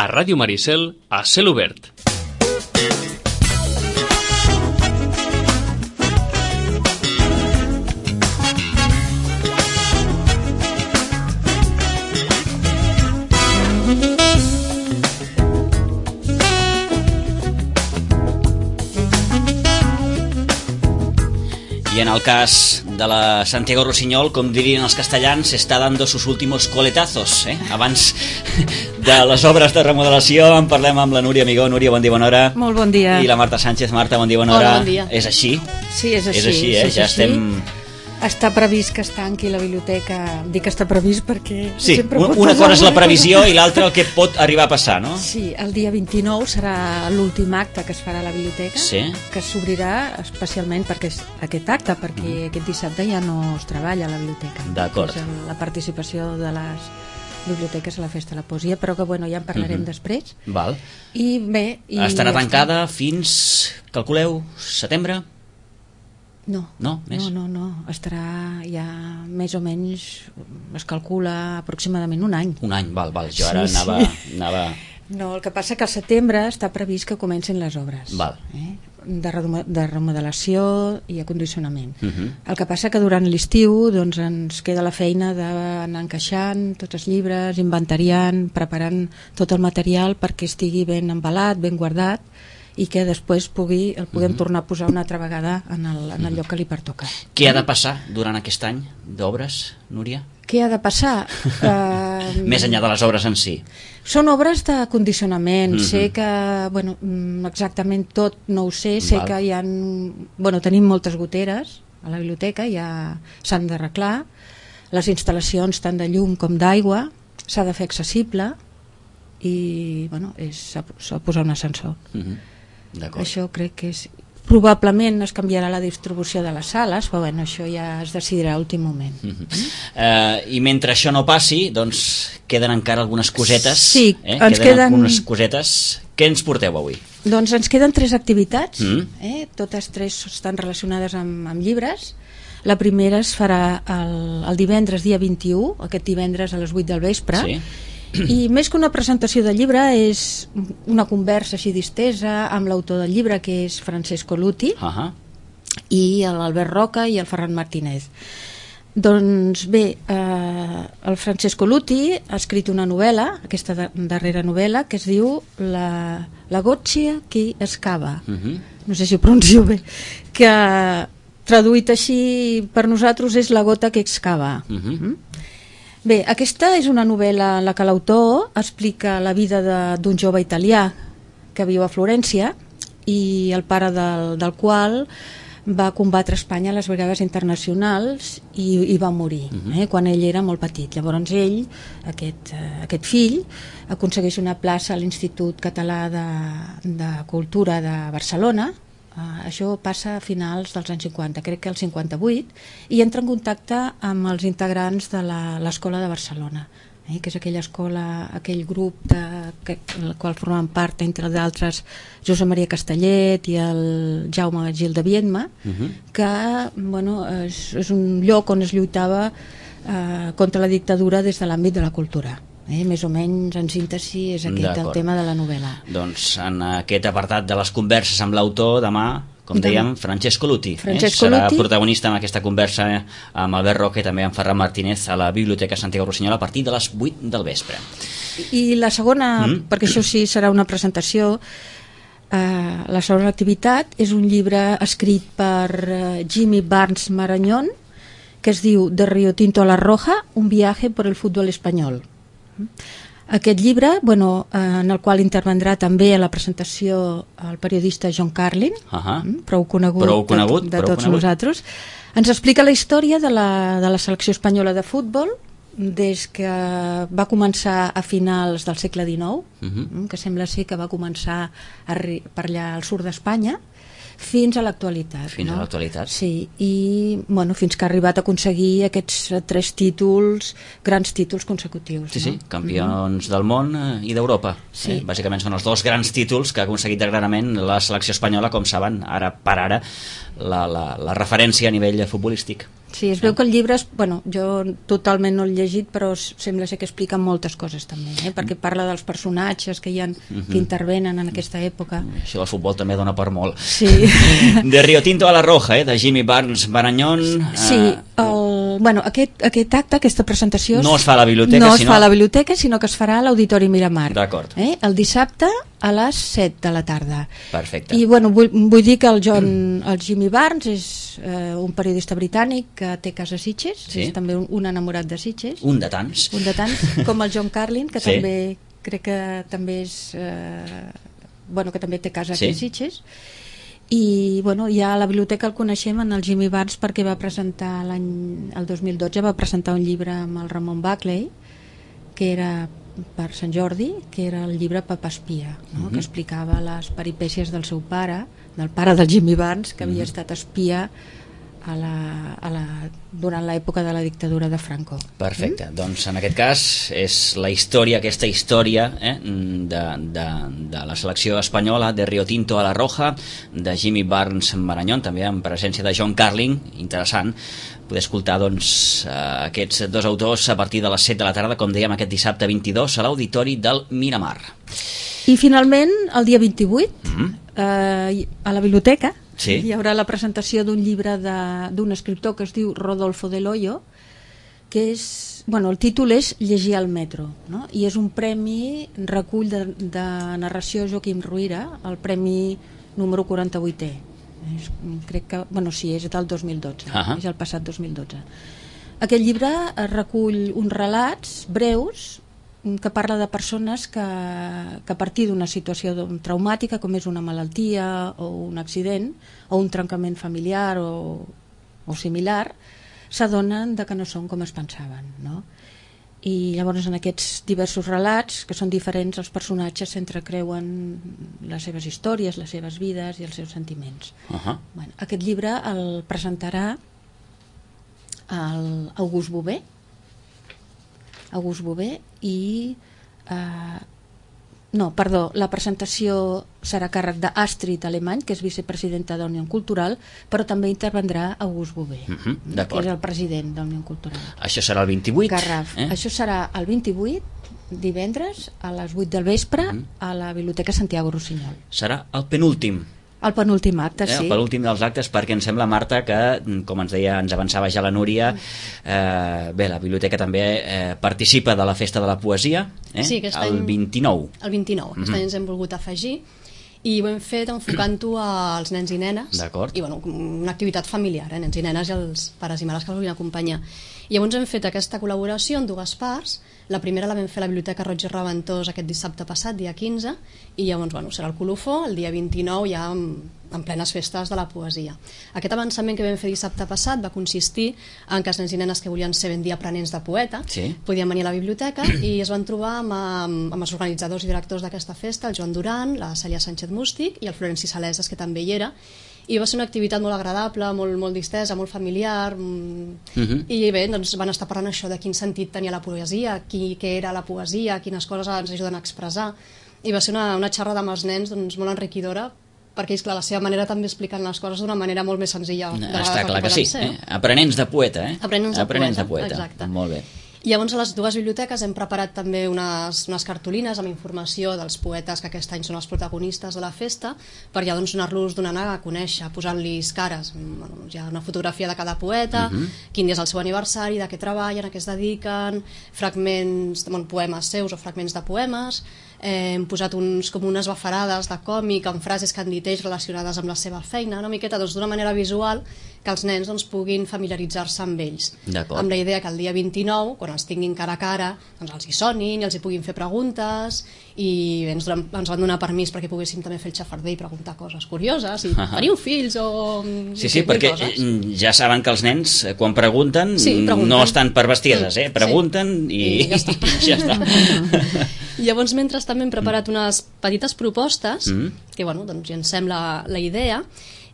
a Ràdio Maricel, a Cel Obert. Y en el cas de la Santiago Rossinyol, com dirien els castellans, està dando sus últimos coletazos. Abans de les obres de remodelació en parlem amb la Núria Amigó. Núria, bon dia, bona hora. Molt bon dia. I la Marta Sánchez. Marta, bon dia, bona hora. Hola, bon dia. És així? Sí, és així. És així, ja estem... Està previst que es tanqui la biblioteca. Dic que està previst perquè... Sí, una cosa és la previsió i l'altra el que pot arribar a passar, no? Sí, el dia 29 serà l'últim acte que es farà a la biblioteca, sí, que s'obrirà especialment perquè és aquest acte, perquè aquest dissabte ja no es treballa a la biblioteca. D'acord. És la participació de les biblioteques a la Festa de la Poesia, però que bueno, ja en parlarem després. Val. I bé... Estarà tancada fins, calculeu, setembre? No, més? no, estarà ja més o menys, es calcula aproximadament un any. Un any, val, jo ara sí, anava... No, el que passa que al setembre està previst que comencin les obres. Val. De remodelació i acondicionament. El que passa que durant l'estiu doncs, ens queda la feina d'anar encaixant tots els llibres, inventariant, preparant tot el material perquè estigui ben embalat, ben guardat, i que després el puguem tornar a posar una altra vegada en el lloc que li pertoca. Què ha de passar durant aquest any d'obres, Núria? Què ha de passar? Més enllà de les obres en si. Són obres de condicionament. Sé que, bueno, exactament tot no ho sé. Sé que hi ha... Bueno, tenim moltes goteres a la biblioteca, ja s'han d'arreglar. Les instal·lacions tant de llum com d'aigua s'ha de fer accessible i, bueno, s'ha de posar un ascensor. Això crec que és... Probablement es canviarà la distribució de les sales, però bueno, això ja es decidirà a l'últim moment. I mentre això no passi, doncs queden encara algunes cosetes. Sí, ens queden algunes cosetes. Què ens porteu avui? Doncs ens queden 3 activitats, totes 3 estan relacionades amb llibres. La primera es farà el divendres, dia 21, aquest divendres a les 8 del vespre. Sí. I més que una presentació del llibre és una conversa així distesa amb l'autor del llibre, que és Francesco Luti, i l'Albert Roca i el Ferran Martínez. Doncs bé, el Francesco Luti ha escrit una novel·la, aquesta darrera novel·la, que es diu La goccia che escava. No sé si ho pronuncio bé, que traduït així per nosaltres és La gota que excava. Bé, aquesta és una novel·la en la que l'autor explica la vida d'un jove italià que viu a Florència i el pare del qual va combatre a Espanya a les brigades internacionals i va morir quan ell era molt petit. Llavors ell, aquest fill, aconsegueix una plaça a l'Institut Català de Cultura de Barcelona. Això passa a finals dels anys 50, crec que el 58, i entra en contacte amb els integrants de l'Escola de Barcelona, que és aquella escola, aquell grup del qual formen part, entre d'altres, Josep Maria Castellet i el Jaume Gil de Viedma, que bueno, és un lloc on es lluitava contra la dictadura des de l'àmbit de la cultura. Més o menys en síntesi és aquest el tema de la novel·la. Doncs en aquest apartat de les converses amb l'autor, demà, com dèiem, Francesco Luti serà protagonista en aquesta conversa amb Albert Roca i també amb Ferran Martínez a la Biblioteca Santiago Rossinyol a partir de les 8 del vespre. I la segona, perquè això sí serà una presentació, la segona activitat és un llibre escrit per Jimmy Barnes Marañón que es diu De Río Tinto a la Roja, un viaje por el fútbol espanyol. Aquest llibre, bueno, en el qual intervendrà també a la presentació el periodista John Carlin, prou conegut de tots nosaltres, ens explica la història de la selecció espanyola de futbol des que va començar a finals del segle XIX, que sembla ser que va començar per allà al sud d'Espanya, fins a l'actualitat. Fins a l'actualitat. Sí, i bueno, fins que ha arribat a aconseguir aquests 3 títols, grans títols consecutius. Sí, campions del món i d'Europa. Bàsicament són els 2 grans títols que ha aconseguit darrerament la selecció espanyola, com saben, ara per ara, la referència a nivell futbolístic. Sí, es veu que el llibre, jo totalment no l'he llegit, però sembla ser que explica moltes coses també, perquè parla dels personatges que que intervenen en aquesta època. Això del futbol també dona per molt. Sí. De Rio Tinto a la Roja, de Jimmy Barnes Marañón. Sí, aquest acte, aquesta presentació no es fa a la biblioteca, no es fa a la biblioteca, sinó que es farà a l'Auditori Miramar. D'acord. El dissabte a les 7 de la tarda. Perfecte. I vull dir que el Jimmy Barnes és un periodista britànic que té casa a Sitges, és també un enamorat de Sitges. Un de tants, com el John Carlin, que també crec que també és que també té casa aquí a Sitges. I ja a la biblioteca el coneixem en el Jimmy Barnes perquè va presentar el 2012 va presentar un llibre amb el Ramon Buckley, que era per Sant Jordi, que era el llibre Papa Espia, que explicava les peripècies del seu pare, del pare del Jimmy Barnes, que havia estat espia durant l'època de la dictadura de Franco. Perfecte, doncs en aquest cas és aquesta història de la selecció espanyola, de Rio Tinto a la Roja, de Jimmy Barnes Marañón, també en presència de John Carlin. Interessant poder escoltar aquests dos autors a partir de les 7 de la tarda, com dèiem, aquest dissabte 22 a l'Auditori del Miramar. I finalment el dia 28 a la biblioteca hi haurà la presentació d'un llibre d'un escriptor que es diu Rodolfo Del Hoyo, que és, el títol és Llegir al metro, i és un premi, recull de narració Joaquim Ruyra, el premi número 48è. Crec que, és del 2012, és el passat 2012. Aquest llibre recull uns relats breus que parla de persones que a partir d'una situació traumàtica, com és una malaltia o un accident o un trencament familiar o similar, s'adonen que no són com es pensaven, i llavors en aquests diversos relats, que són diferents, els personatges s'entrecreuen les seves històries, les seves vides i els seus sentiments. Aquest llibre el presentarà August Bové i la presentació serà a càrrec d'Astrid Alemany, que és vicepresidenta d'Unió Cultural, però també intervendrà August Bové, que és el president d'Unió Cultural. Això serà el 28? Garraf. Això serà el 28, divendres, a les 8 del vespre, a la Biblioteca Santiago Rossinyol. Serà el penúltim? El penúltim acte, sí. El penúltim dels actes, perquè em sembla, Marta, que, com ens deia, ens avançava ja la Núria, la biblioteca també participa de la Festa de la Poesia, el 29. El 29, aquest any ens hem volgut afegir, i ho hem fet enfocant-ho als nens i nenes, i una activitat familiar, nens i nenes i els pares i mares que els vulguin acompanyar. I llavors hem fet aquesta col·laboració en dues parts. La primera la vam fer a la Biblioteca Roig i Reventós aquest dissabte passat, dia 15, i llavors serà el colofó, el dia 29 ja en plenes festes de la poesia. Aquest avançament que vam fer dissabte passat va consistir en que els nens i nenes que volien ser ben dir aprenents de poeta podien venir a la biblioteca i es van trobar amb els organitzadors i directors d'aquesta festa, el Joan Duran, la Cèlia Sánchez Mústic i el Florenci Saleses, que també hi era, i va ser una activitat molt agradable, molt distesa, molt familiar, i bé, doncs van estar parlant això de quin sentit tenia la poesia, què era la poesia, quines coses ens ajuden a expressar, i va ser una xerrada amb els nens molt enriquidora, perquè és clar, la seva manera també explicant les coses d'una manera molt més senzilla. Està clar que sí, aprenents de poeta, aprenents de poeta, exacte. Molt bé. I llavors a les dues biblioteques hem preparat també unes cartolines amb informació dels poetes que aquest any són els protagonistes de la festa, per ja anar-los donant a conèixer, posant-los cares. Hi ha una fotografia de cada poeta, quin dia és el seu aniversari, de què treballen, a què es dediquen, fragments, poemes seus o fragments de poemes. Hem posat com unes bafarades de còmic amb frases que han dit ells relacionades amb la seva feina, una miqueta d'una manera visual que els nens puguin familiaritzar-se amb ells, amb la idea que el dia 29, quan els tinguin cara a cara, els hi sonin i els hi puguin fer preguntes, i ens van donar permís perquè poguéssim també fer el xafarder i preguntar coses curioses, i teniu fills o... Sí, perquè ja saben que els nens quan pregunten no estan per bestieses, pregunten i ja està. I llavors, mentre també hem preparat unes petites propostes, que ja ens sembla la idea,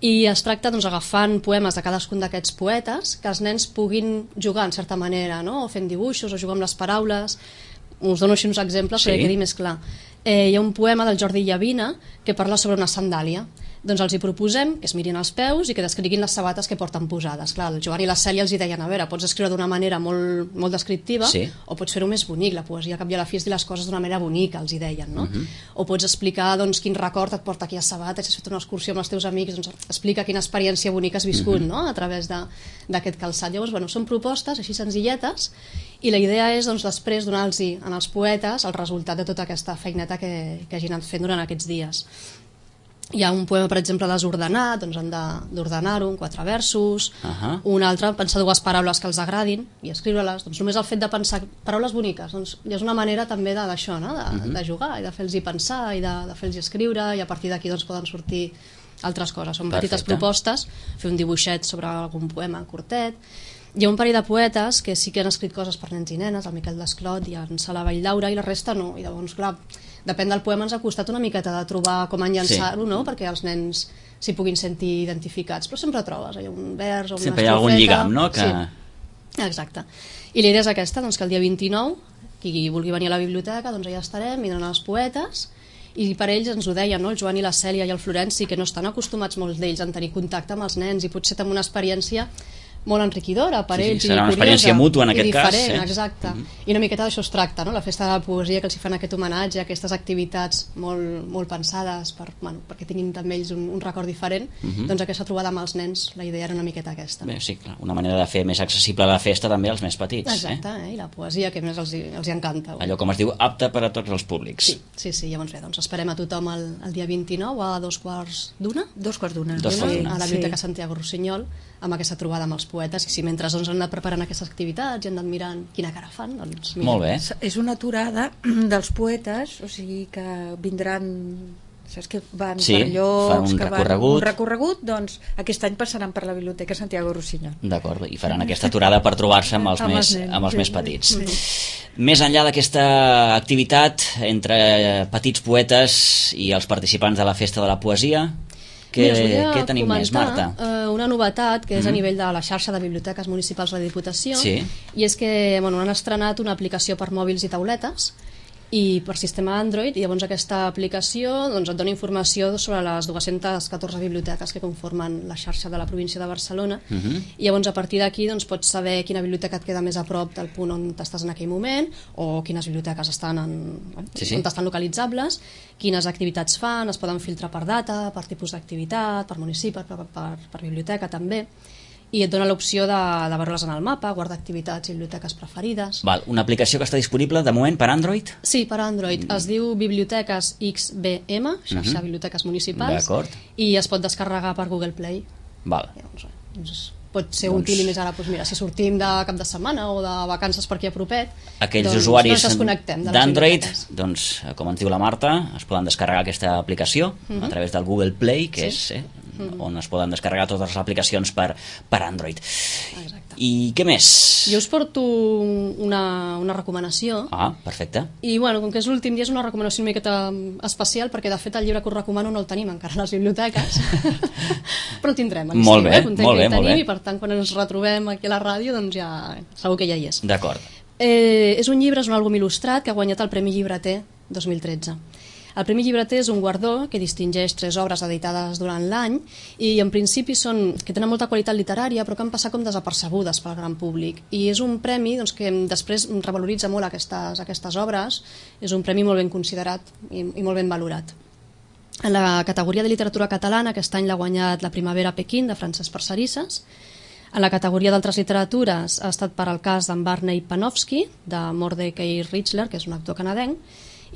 i es tracta agafant poemes de cadascun d'aquests poetes que els nens puguin jugar en certa manera, o fent dibuixos o jugar amb les paraules. Us dono així uns exemples perquè quedi més clar. hi ha un poema del Jordi Llavina que parla sobre una sandàlia. Doncs els hi proposem que es mirin els peus i que descriguin les sabates que porten posades. Clar, el Joan i la Cèlia els hi deien, a veure, pots escriure d'una manera molt descriptiva, sí, o pots fer-ho més bonic, la poesia cap i a la fi és dir les coses d'una manera bonica, els hi deien, no? O pots explicar doncs, quin record et porta aquí a sabates, si has fet una excursió amb els teus amics, doncs explica quina experiència bonica has viscut, no?, a través d'aquest calçat. Llavors, bueno, són propostes així senzilletes i la idea és doncs, després donar-los als poetes el resultat de tota aquesta feineta que hagin anat fent durant aquests dies. Hi ha un poema, per exemple, desordenat, doncs han d'ordenar-ho en 4 versos, un altre, pensar 2 paraules que els agradin i escriure-les. Doncs només el fet de pensar paraules boniques doncs, ja és una manera també d'això, no? de jugar i de fer-los pensar i de fer-los escriure, i a partir d'aquí doncs, poden sortir altres coses. Són petites propostes, fer un dibuixet sobre algun poema curtet. Hi ha un parell de poetes que sí que han escrit coses per nens i nenes, el Miquel Desclot i en Sala Valldaura, i la resta no. I llavors, clar, depèn del poema, ens ha costat una miqueta de trobar com enllaçar-ho, no?, perquè els nens s'hi puguin sentir identificats. Però sempre trobes, hi ha un vers o una estrofeta... Sempre hi ha algun lligam, no? Que... Sí, exacte. I la idea és aquesta, doncs, que el dia 29, qui vulgui venir a la biblioteca, doncs allà estarem, vindran els poetes, i per ells ens ho deien, no?, el Joan i la Cèlia i el Florenci, que no estan acostumats molts d'ells a tenir contacte amb els nens, i potser amb una experiència molt enriquidora per ells, serà una experiència mútua en aquest cas, exacte. I una miqueta d'això es tracta, no? La festa de la poesia, que els hi fan aquest homenatge, aquestes activitats molt pensades perquè tinguin també ells un record diferent, doncs aquesta trobada amb els nens, la idea era una miqueta aquesta. Bé, sí, clar, una manera de fer més accessible la festa també als més petits. Exacte, i la poesia, que més els encanta. Allò, com es diu, apte per a tots els públics. Sí, llavors bé, doncs esperem a tothom el dia 29 a 2:15? 2:15. A la Biblioteca Santiago Rossinyol, amb aquesta trobada amb els poetes, i si mentre doncs han anat preparant aquestes activitats i han anat mirant quina cara fan, doncs mira. Molt bé. És una aturada dels poetes, o sigui que vindran, saps que van per llocs, que van un recorregut, doncs aquest any passaran per la Biblioteca Santiago Rossinyol. D'acord, i faran aquesta aturada per trobar-se amb els més petits. Més enllà d'aquesta activitat entre petits poetes i els participants de la Festa de la Poesia, què tenim més, Marta? Una novetat que és a nivell de la xarxa de biblioteques municipals de la Diputació, i és que han estrenat una aplicació per mòbils i tauletes i per sistema Android, i llavors aquesta aplicació et dona informació sobre les 214 biblioteques que conformen la xarxa de la província de Barcelona, i llavors a partir d'aquí pots saber quina biblioteca et queda més a prop del punt on estàs en aquell moment, o quines biblioteques estan on estan localitzables, quines activitats fan, es poden filtrar per data, per tipus d'activitat, per municipi, per biblioteca també, i et dona l'opció de veure-les en el mapa, guardar activitats i biblioteques preferides. Una aplicació que està disponible de moment per Android? Sí, per Android. Es diu Biblioteques XBM, xarxa Biblioteques Municipals, i es pot descarregar per Google Play. Pot ser útil, i més ara, si sortim de cap de setmana o de vacances per aquí a propet, aquells usuaris d'Android, com ens diu la Marta, es poden descarregar aquesta aplicació a través del Google Play, que és on es poden descarregar totes les aplicacions per Android. I què més? Jo us porto una recomanació. Perfecte. I com que és l'últim dia, és una recomanació una miqueta especial, perquè de fet el llibre que us recomano no el tenim encara a les biblioteques, però el tindrem a l'estiu. Molt bé. I per tant, quan ens retrobem aquí a la ràdio, doncs ja segur que ja hi és. D'acord. És un llibre, és un àlbum il·lustrat que ha guanyat el Premi Llibreter 2013. El Premi Llibreter és un guardó que distingeix 3 obres editades durant l'any, i en principi que tenen molta qualitat literària, però que han passat com desapercebudes pel gran públic. I és un premi que després revaloritza molt aquestes obres, és un premi molt ben considerat i molt ben valorat. En la categoria de literatura catalana, aquest any l'ha guanyat La primavera a Pequín, de Francesc Parcerisses. En la categoria d'altres literatures ha estat per al cas d'en Barney Panofsky, de Mordecai Richler, que és un actor canadenc,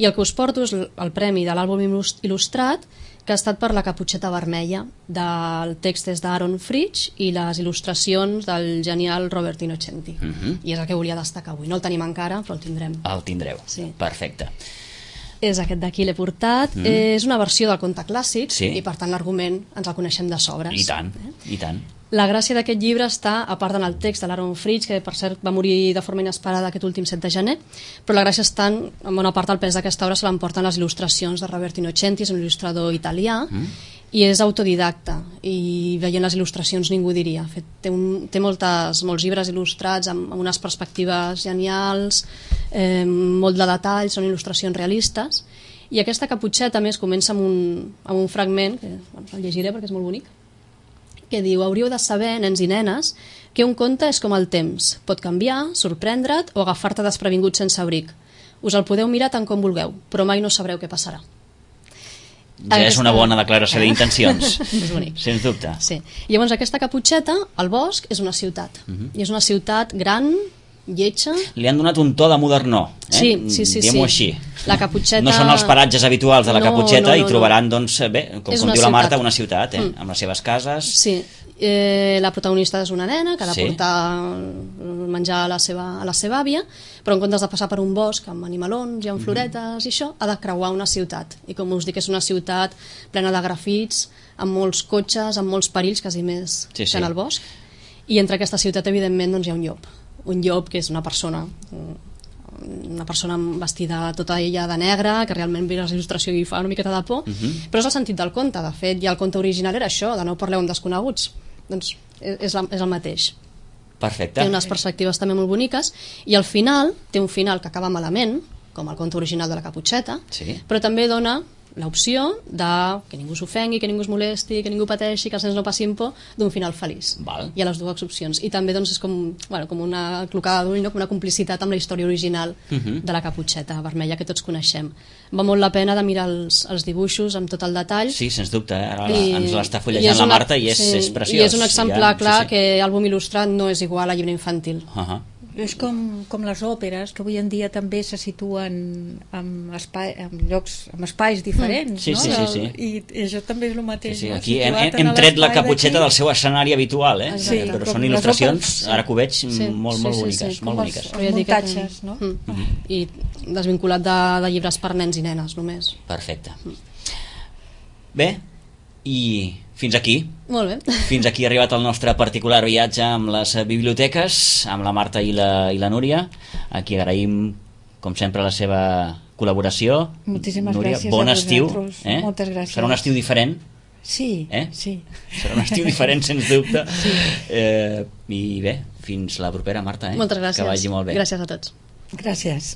i el que us porto és el premi de l'àlbum il·lustrat, que ha estat per La caputxeta vermella. El text és d'Aaron Fritsch i les il·lustracions del genial Robert Innocenti. I és el que volia destacar avui. No el tenim encara, però el tindrem. El tindreu, perfecte. És aquest d'aquí, l'he portat. És una versió del conte clàssic, i per tant l'argument ens el coneixem de sobres. I tant, i tant. La gràcia d'aquest llibre està, a part en el text de l'Aaron Fritsch, que per cert va morir de forma inesperada aquest últim 7 de gener, però la gràcia està en bona part del pes d'aquesta obra se l'emporten les il·lustracions de Robert Innocenti, és un il·lustrador italià, i és autodidacta, i veient les il·lustracions ningú diria. Té molts llibres il·lustrats amb unes perspectives genials, molt de detall, són il·lustracions realistes, I aquesta caputxeta, més, comença amb un fragment, que el llegiré perquè és molt bonic, que diu: hauríeu de saber, nens i nenes, que un conte és com el temps. Pot canviar, sorprendre't o agafar-te desprevingut sense abric. Us el podeu mirar tant com vulgueu, però mai no sabreu què passarà. Ja és una bona declaració d'intencions. És bonic. Sens dubte. Sí. Llavors aquesta caputxeta, el bosc, és una ciutat. I és una ciutat gran, lletja... Li han donat un to de modernó, Sí. diguem-ho així. La caputxeta... No són els paratges habituals de la caputxeta i trobaran, doncs, bé, com diu la Marta, una ciutat, amb les seves cases... Sí. La protagonista és una nena que ha de portar menjar a la seva àvia, però en comptes de passar per un bosc amb animalons i amb floretes i això, ha de creuar una ciutat. I com us dic, és una ciutat plena de grafits, amb molts cotxes, amb molts perills, quasi més que en el bosc. I entre aquesta ciutat, evidentment, doncs, hi ha un llop. Un llop que és una persona vestida tota ella de negre, que realment veus l'il·lustració i fa una miqueta de por, però és el sentit del conte. De fet, ja el conte original era això, de no parleu amb desconeguts. Doncs és el mateix. Perfecte. Té unes perspectives també molt boniques i al final, té un final que acaba malament, com el conte original de la caputxeta, però també dona l'opció de que ningú s'ofengui, que ningú es molesti, que ningú pateixi, que els nens no passin por, d'un final feliç. Hi ha les dues opcions. I també doncs, és com una clocada d'ull, com una complicitat amb la història original de la caputxeta vermella que tots coneixem. Va molt la pena de mirar els dibuixos amb tot el detall. Sí, sens dubte. Ara ens l'està fullejant la Marta i és preciós. I és un exemplar clar que àlbum il·lustrat no és igual a llibre infantil. És com les òperes, que avui en dia també se situen en espais diferents, no? I això també és el mateix. Aquí hem tret la caputxeta del seu escenari habitual, però són il·lustracions, ara que ho veig, molt boniques. Muntatges, no? I desvinculat de llibres per nens i nenes, només. Perfecte. Bé, i fins aquí. Molt bé. Fins aquí ha arribat el nostre particular viatge amb les biblioteques, amb la Marta i la Núria. Aquí agraïm, com sempre, la seva col·laboració. Moltíssimes Núria, gràcies bon a estiu. Moltes gràcies. Serà un estiu diferent. Sí. Serà un estiu diferent, sens dubte. I bé, fins la propera, Marta. Moltes gràcies. Que vagi molt bé. Gràcies a tots. Gràcies.